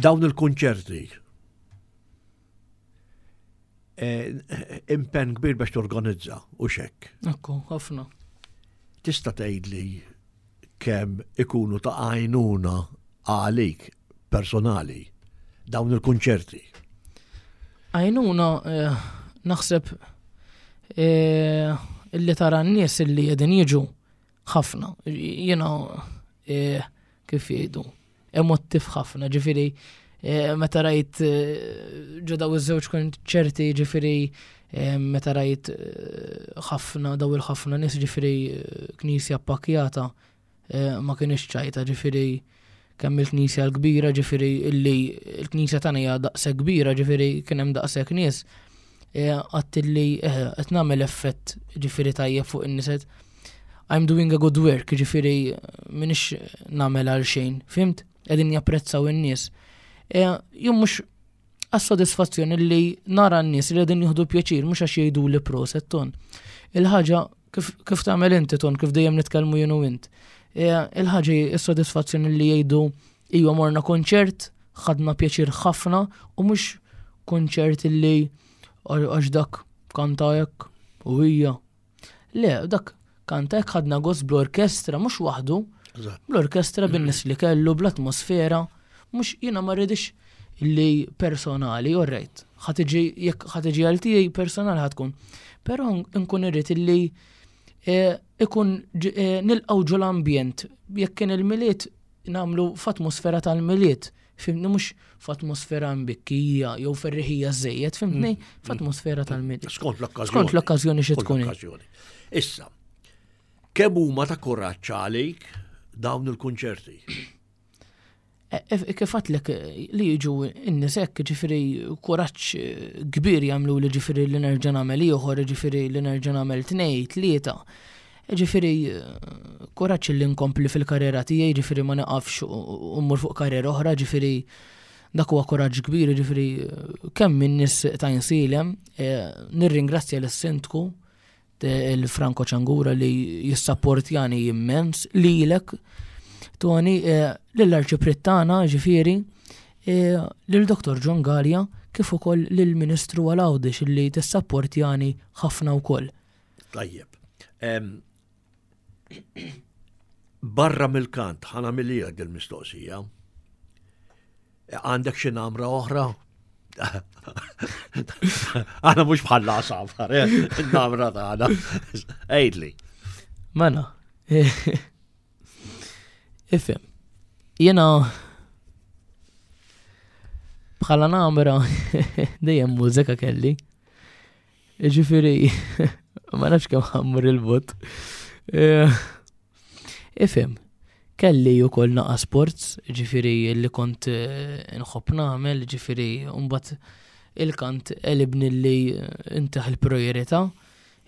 Dawn il-kunċerti eh, impenn kbir biex torganizza u xekk. Ekku, ħafna. Tista' tgħidli kemm ikunu ta' għajnuna għalik personali dawn il-kunċerti? Għajnuna eh, naħseb eh, illi tara n-nies illi qegħdin jiġu ħafna. Jiena eh, kif jgħidu, emottiv ħafna, ġifieri meta rajt ġo daw iż-żewġ konċerti ġifieri meta rajt ħafna daw il-ħafna nies ġifieri knisja ppakjata ma kienx ċajta ġifieri kemm il-knisja l-kbira ġifieri illi l-knisja tagħna hija daqshekk kbira ġifieri kien hemm daqshekk nies għadt illi qed nagħmel effett ġifieri tajjeb fuq in-nies I'm doing a good work ġifieri m'iniex nagħmel għal xejn, fimt? Qegħdin japprezzaw in-nies. Jien mhux għas-sodisfazzjoni li nara n-nies li qegħdin jieħdu pjaċir mhux għax jgħidu li proset ton. Il-ħaġa kif, kif tagħmel inti ton kif dejjem nitkellmu jien u int. E, il-ħaġa is-sodisfazzjoni li jgħidu iwa morna konċert, ħadna pjaċir ħafna u mhux konċert li għax dak kanta hekk u hija. Le, dak kanta hekk ħadna gost bl-orkestra mhux waħdu. Bl-orkestra bin-nies li kellu, bl-atmosfera, mhux jiena ma rridix li personali, all right, ħa tiġi jekk ħa tiġi għal tiegħi personali ħa tkun. Però nkun irrid illi eh, ikun eh, nilqgħu ġo l-ambjent, jekk kien il-Milied nagħmlu f'atmosfera tal-Milied, fimni mhux f'atmosfera mbikkija jew ferriħija żejjed, fimtni mm. f'atmosfera tal-Milied. Skont l-okkażjoni. Skont l-okkażjoni xi tkun. Issa, kemm huma ta' kuraġġ għalik dawn il-kunċerti? E, e, kif għatlek li jiġu n-nies hekk, ġifieri kuraġġ kbir jagħmlu li ġifieri li nerġa' nagħmel ieħor, ġifieri li nerġa' nagħmel tnej, tlieta. Ġifieri kuraġġ li nkompli fil-karriera tiegħi, ġifieri ma niqafx u mmur fuq karriera oħra, ġifieri dak huwa kuraġġ kbir, ġifieri kemm min-nies ta' Insilem, e, nirringrazzja lis-sindku il-Franco Ċangura li jissapportjani immens lilek Tony eh, lill-Arċipriet tagħna ġifieri eh, lil Dr. John Gallia kif ukoll lill-Ministru għal Għawdex li tissapportjani ħafna wkoll. Tajjeb. Barra mill-kant, ħana mill dil-mistoqsija. Għandek xi namra oħra? Aħna mhux bħal għasafar, eh? namra tagħna. Għidli. Mela. Ifhem. Jiena bħala namra dejjem mużika kelli. Ġifieri ma nafx kemm ħammur il-bot. Eh, Ifhem, kelli ukoll naqa' sports, ġifieri li kont eh, nħobb nagħmel, ġifieri mbagħad il-kant għelibni li intaħ il-priorità.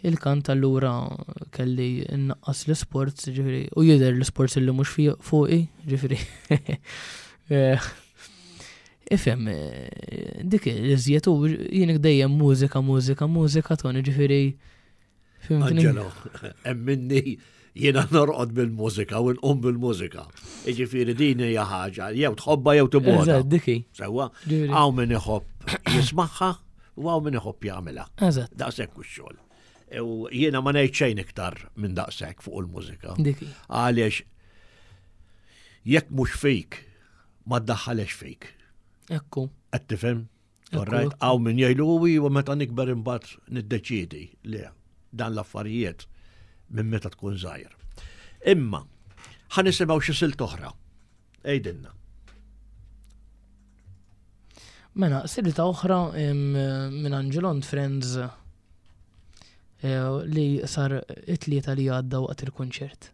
Il-kant allura kelli nnaqqas l-sports, ġifieri, u jidher l-sports li mhux fuqi, ġifieri. Eh, ifhem, eh, dik l-iżjed u jien dejjem mużika, mużika, mużika, toni ġifieri Angelo, emminni jiena norqod bil-mużika u nqum bil-mużika. Iġifieri din hija ħaġa, jew tħobba jew tibgħodha. Diki. Sewwa, hawn min iħobb jismagħha u hawn min iħobb jagħmilha. Eżatt. Daqshekk u x-xogħol. U jiena ma ngħid xejn iktar minn daqshekk fuq il-mużika. Diki. Għaliex jekk mhux fik, ma ddaħħalex fik. Ekku. Qed tifhem? Alright, għaw min jgħidu u iwa meta nikber imbagħad niddeċiedi li dan l-affarijiet minn meta tkun żgħir. Imma ħa nisimgħu xi silt oħra. Ejdinna. Mela, silta oħra minn Angelon Friends eh, li sar it-tlieta li għadda waqt il-kunċert.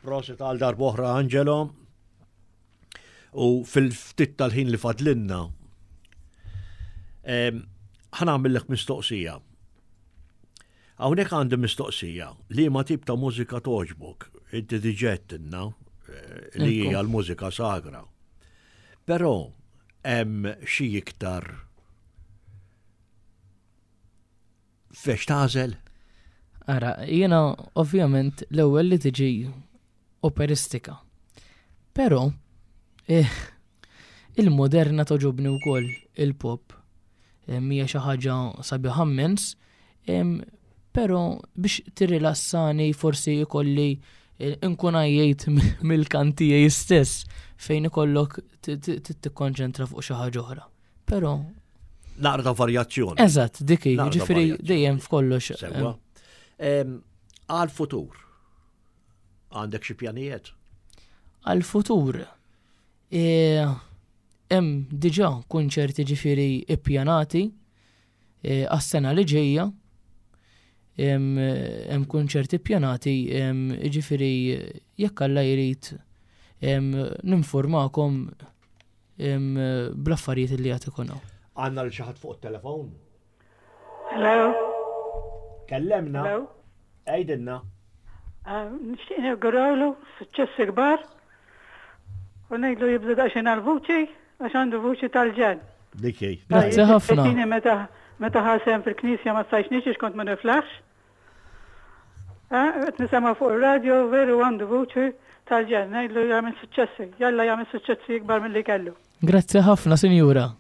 Prosit għal darb'oħra Angelo. U fil-ftit tal-ħin li fadlinna, ħa nagħmillek mistoqsija. Hawnhekk għandi mistoqsija li ma tip ta' mużika toġbok, inti diġà għedtilna eh, li hija l-mużika sagra. Però hemm xi iktar Fex tagħżel? Ara, jiena ovvjament l-ewwel li tiġi operistika. Però eh, il-moderna toġobni wkoll il-pop. Eh, mija xi ħaġa sabiħa immens, però biex tirrilassani forsi jkolli eh, nkun għajjejt mill-kantijaj stess fejn ikollok tikkonċentra fuq xi ħaġa oħra. Però Naqra ta' varjazzjoni. Eżatt, dik hi, ġifieri dejjem f'kollox. Sewwa. Għal-futur, għandek xi pjanijiet? Għal-futur, e, hemm diġà kunċerti ġifieri ippjanati e, għas-sena li ġejja. Hemm kunċerti ppjanati, ġifieri jekk Alla jrid ninformakom bl-affarijiet li għad ikun hawn. Għandna lil xi ħadd fuq it-telefon? Hello. Kellemna. Hello. Għidilna. Ah, nixtieq nawgurawlu suċċessi kbar u ngħidlu jibda daqsxejn għall-vuċi għax għandu vuċi tal-ġenn. Dik hi. Grazzi ħafna. Meta meta ħasem fil-knisja ma stajtx niġi kont ma niflaħx. Qed nisemgħu fuq ir-radio veru għandu vuċi tal-ġenn, ngħidlu jagħmel suċċessi, jalla jagħmel suċċessi ikbar milli kellu. Grazzi ħafna, Sinjura.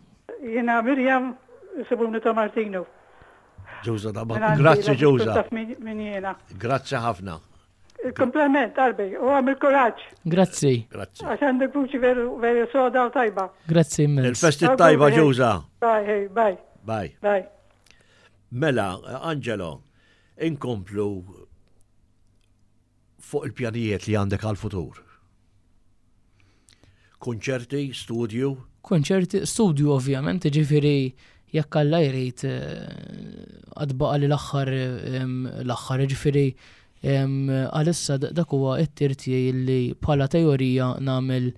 Jiena Miriam, isibuni ta' Martinu. Ġewża ta' Martinu. Grazzi Ġewża. Taf min jiena. Grazzi ħafna. Il-kompliment qalbi, u għamil kuraġġ. Grazzi. Grazzi. Għax għandek vuċi veru veru soda u tajba. Grazzi immens. Il-festi tajba Ġewża. Bye, bye. Bye. Bye. Mela, Angelo, inkomplu fuq il-pjanijiet li għandek għal-futur. Konċerti, studju? Konċerti, studju ovvjament, ġifiri jekk Alla jrid eh, għadbaqa li l-aħħar l-aħħar ġifiri Għalissa dak huwa t-tir tiegħi li bħala teorija nagħmel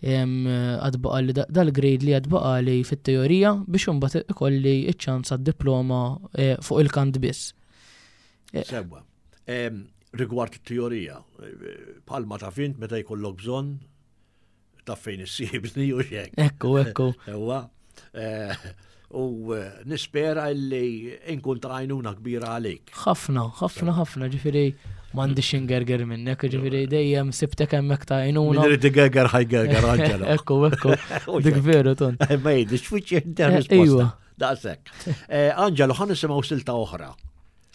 għad baqali dal-grade li għad baqali fit-teorija biex imbagħad ikolli ċ-ċans għad-diploma eh, fuq il-kant biss. Eh, Sewwa. Rigward it-teorija, eh, bħalma taf int meta jkollok bżonn taf fejn issibni u xek. Ekku, ekku. Ewa. Eh, u eh, nispera li inkun ta' għajnuna kbira għalik. Ħafna, ħafna, ħafna, ġifiri m'għandix ingerger minnek, ġifiri dejjem sibtek hemmhekk ta' għajnuna. Min irid igerger ħajgerger Angelo. Ekku, ekku. Dik veru ton. Eh, ma jidix fuċi risposta. Iwa. Daqshekk. Angelo, ħan nisimgħu silta oħra.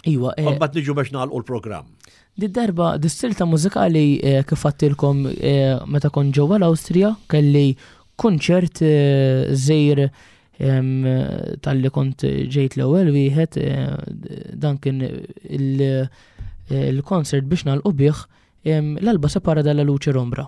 Iwa. Eh, Mbagħad niġu biex nagħlqu l-programm. Di darba, dis-silta mużikali eh, kif għattilkom eh, meta kont ġewwa l-Awstrija kelli kunċert żejr tal-li kont ġejt l-ewwel wieħed dan kien il-concert biex nagħlqu bih l-alba separa dalla luce rombra.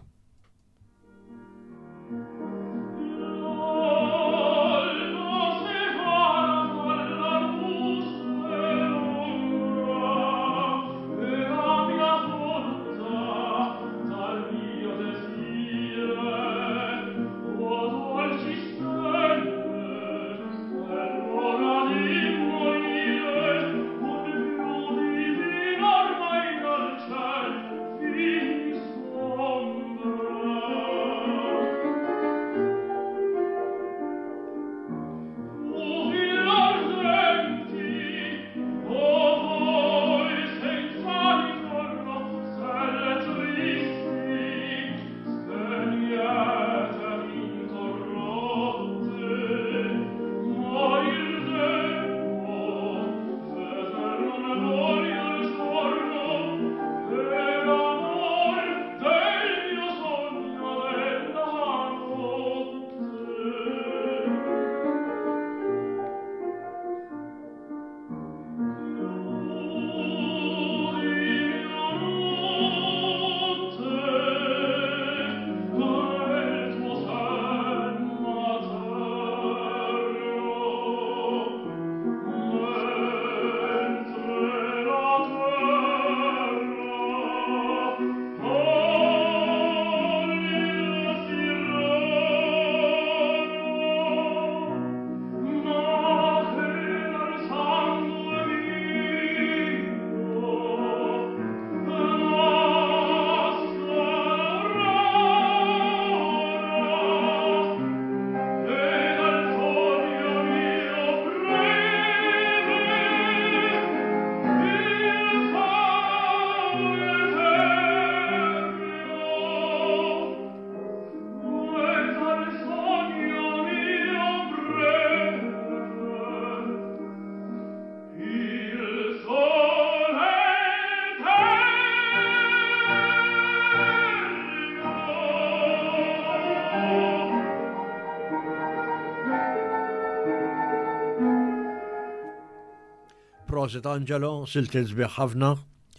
Prosit Angelo, silti sbieħ ħafna.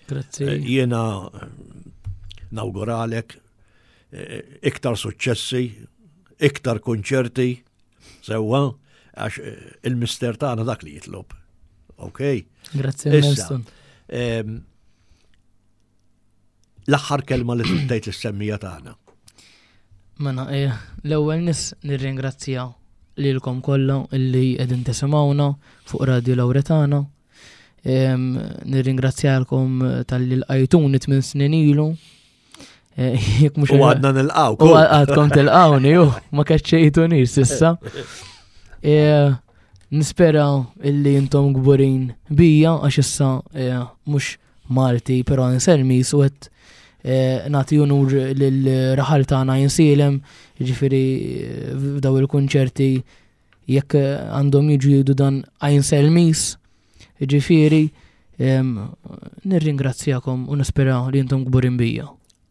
Grazzi. Eh, jiena eh, nawguralek eh, iktar suċċessi, iktar konċerti, sewwa, għax il-mister tagħna dak li jitlob. Ok? Grazzi, Issa, ehm, l-aħħar kelma li tgħid lis-semmija tagħna. Mela, eh, l-ewwel nis nirringrazzja lilkom kollha illi qegħdin tisimgħuna fuq Radio Lauretana. Nirringrazzjalkom tal-li l-qajtuni tmien snin ilu. Eh, jekk mhux U għadna nilqaw. U għadkom tilqawni, ju, ma kaċċejtuni sissa. Eh, nispera illi intom gburin bija għax issa mhux Malti, però nsermi su qed eh, nagħti unur lil raħal tagħna jinsilem, jiġifieri eh, f'daw il-kunċerti jekk għandhom jiġu jgħidu dan għajn selmis, jiġifieri nirringrazzjakom u nispera li intom kburin bija.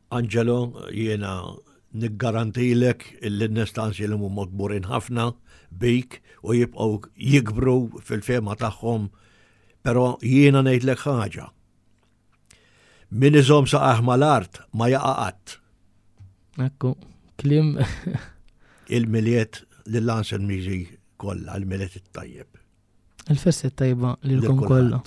Angelo, jiena niggarantilek illi n-nies ta' Ansilem huma kburin ħafna bik u jibqgħu jikbru fil-fehma tagħhom Però jiena ngħidlek ħaġa. Min iżomm saqajh mal-art ma jaqa' qatt. Ekku, kliem. Il-Milied lil Anselmiżi kollha, il-Milied it-tajjeb. Il-festi tajba lilkom kollha.